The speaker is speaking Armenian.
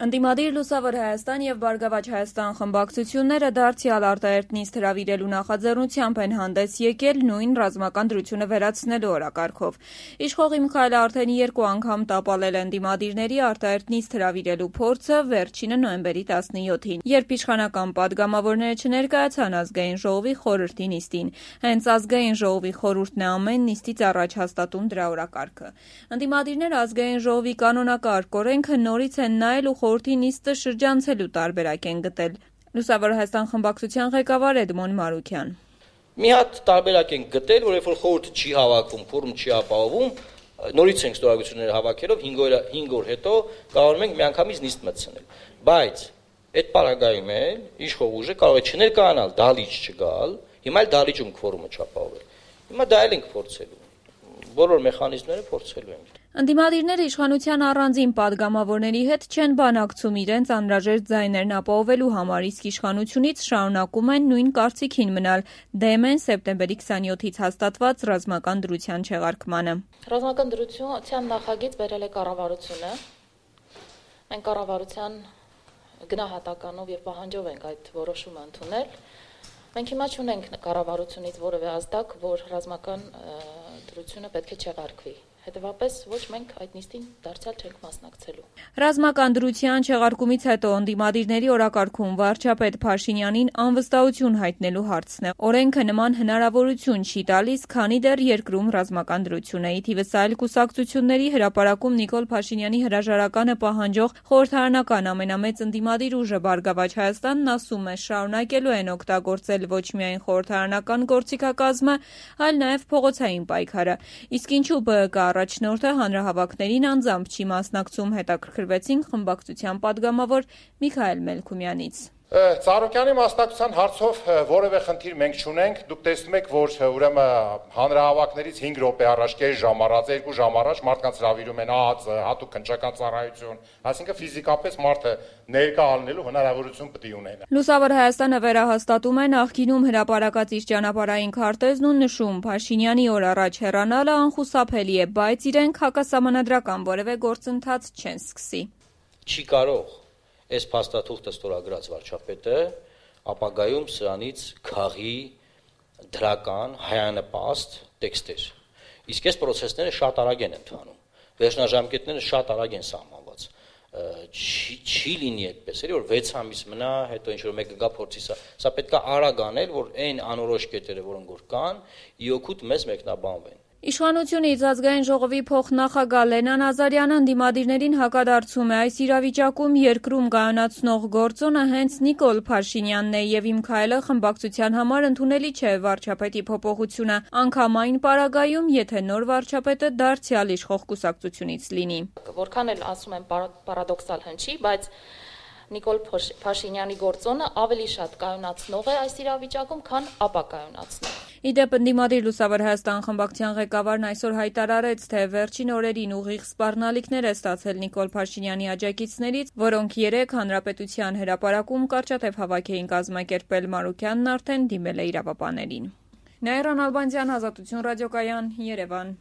Ընդդիմադիր Լուսավոր Հայաստան և Բարգավաճ Հայաստան խմբակցությունները դարձյալ արտահերթ նիստ հրավիրելու նախաձեռնությամբ են հանդես եկել նույն ռազմական դրությունը վերացնելու օրակարգով։ Իշխող Միքայելը արդեն 2 անգամ տապալել է ընդդիմադիրների արտահերթ նիստ հրավիրելու փորձը, վերջինը նոյեմբերի 17-ին, երբ իշխանական պատգամավորները չներկայացան Ազգային ժողովի խորհրդի նիստին։ Հենց Ազգային ժողովի խորհուրդն է ամեն նիստից առաջ հաստատում դրա օրակարգը։ Ընդդիմադիրները Ազգային ժողովի կանոնակարգ օրենքը նորից են նայել ու խորհրդի նիստը շրջանցելու տարբերակ են գտել։ Լուսավոր Հայաստան խմբակցության ղեկավար Էդմոն Մարուքյան. Մի հատ տարբերակ են գտել, որ երբ որ խորհուրդը չի հավաքվում, ֆորում չի ապահովում, նորից ենք ստորագրությունները հավաքելով 5 օր հետո կարող ենք միանգամից նիստ մտցնել։ Բայց այդ պարագայում էլ իշխող ուժը կարող է չներկայանալ, դահլիճ չգալ, հիմա էլ դահլիճում ֆորումը չապահովել։ Հիմա դա էլ ենք փորձելու։ Բոլոր մեխանիզմները փորձելու ենք։ Ընդդիմադիրները իշխանության առանձին պատգամավորների հետ չեն բանակցում իրենց անհրաժեշտ ձայներն ապահովելու համար, իսկ իշխանությունից շարունակում են նույն կարծիքին մնալ, դեմ են սեպտեմբերի 27-ից հաստատված ռազմական դրության չեղարկմանը։ Ռազմական դրության նախագիծ բերել է կառավարությունը։ Մենք կառավարության գնահատականով եւ պահանջով ենք այդ որոշումը ընդունել։ Մենք հիմա չունենք կառավարությունից որևէ ազդակ, որ ռազմական դրությունը պետք է չեղարկվի։ Հետևաբար ոչ մենք այդ նիստին դարձյալ չենք մասնակցելու։ Ռազմական դրության չեղարկումից հետո ընդդիմադիրների օրակարգում վարչապետ Փաշինյանին անվստահություն հայտնելու հարցն է։ Օրենքը նման հնարավորություն չի տալիս, քանի դեռ երկրում ռազմական դրություն է։ Ի թիվս այլ կուսակցությունների հրապարակում Նիկոլ Փաշինյանի հրաժարականը պահանջող խորհրդարանական ամենամեծ ընդդիմադիր ուժը Բարգավաճ Հայաստանն ասում է, շարունակելու են օգտագործել ոչ միայն խորհրդարանական գործիքակազմը, այլ նաև փողոցային պայքարը։ Իսկ ինչու ԲԿ առաջնորդը հանրահավաքներին անձամբ չի մասնակցում, հետաքրքրվեցինք խմբակցության պատգամավոր Միքայել Մելքումյանից։ Ծառուկյանի մասնակցության հարցով որևէ խնդիր մենք չունենք։ Դուք տեսնում եք, որ ուրեմն հանրահավաքներից 5 րոպե առաջ, կես ժամ առաջ, 2 ժամ առաջ մարդկանց հրավիրում են ԱԱԾ, հատուկ քննչական ծառայություն, այսինքն ֆիզիկապես մարդը ներկա ալնելու հնարավորություն պետք է ունենա։ Լուսավոր Հայաստանը վերահաստատում է նախկինում հրապարակած իր ճանապարհային քարտեզն ու նշում, Փաշինյանի օր առաջ հեռանալը անխուսափելի է, բայց իրենք հակասահմանադրական որևէ գործընթաց չեն սկսի։ Չի կարող այս փաստաթուղթը ստորագրած վարչապետը ապագայում սրանից քաղի դրական հայանպաստ տեքստեր։ Իսկ այս process-ները շատ արագ են ընթանում։ Վերջնաժամկետները շատ արագ են սահմանված։ Չի լինի այդպես, էլի որ 6 ամիս մնա, հետո ինչ որ մեկը գա փորձի սա պետք է արագ անել, որ այն անորոշ կետերը, որոնք որ կան, իօքուտ մեզ մեկնաբանվեն։ Իշխանությունից Ազգային ժողովի փոխնախագահ Լենա Նազարյանը ընդդիմադիրներին հակադարձում է, այս իրավիճակում երկրում կայունացնող գործոնը հենց Նիկոլ Փաշինյանն է եւ Միքայելը խմբակցության համար ընդունելի չէ վարչապետի փոփոխությունը, անգամ այն պարագայում, եթե նոր վարչապետը դարձյալ իշխող կուսակցությունից լինի։ Որքան էլ ասում են պարադոքսալ հնչի, բայց Նիկոլ Փաշինյանի գործոնը ավելի շատ կայունացնող է այս իրավիճակում, քան ապակայունացնող։ Իդեպ ընդդիմադիր Լուսավոր Հայաստան խմբակցության ղեկավարն այսօր հայտարարեց, թե վերջին օրերին ուղիղ սպառնալիքներ է ստացել Նիկոլ Փաշինյանի աջակիցներից, որոնք 3 հանրապետության հրապարակում կարճատև հավաք էին կազմակերպել։ Մարուքյանն արդեն դիմել է իրավապաներին։ Նաիրա Նալբանդյան, Ազատություն ռադիոկայան, Երևան։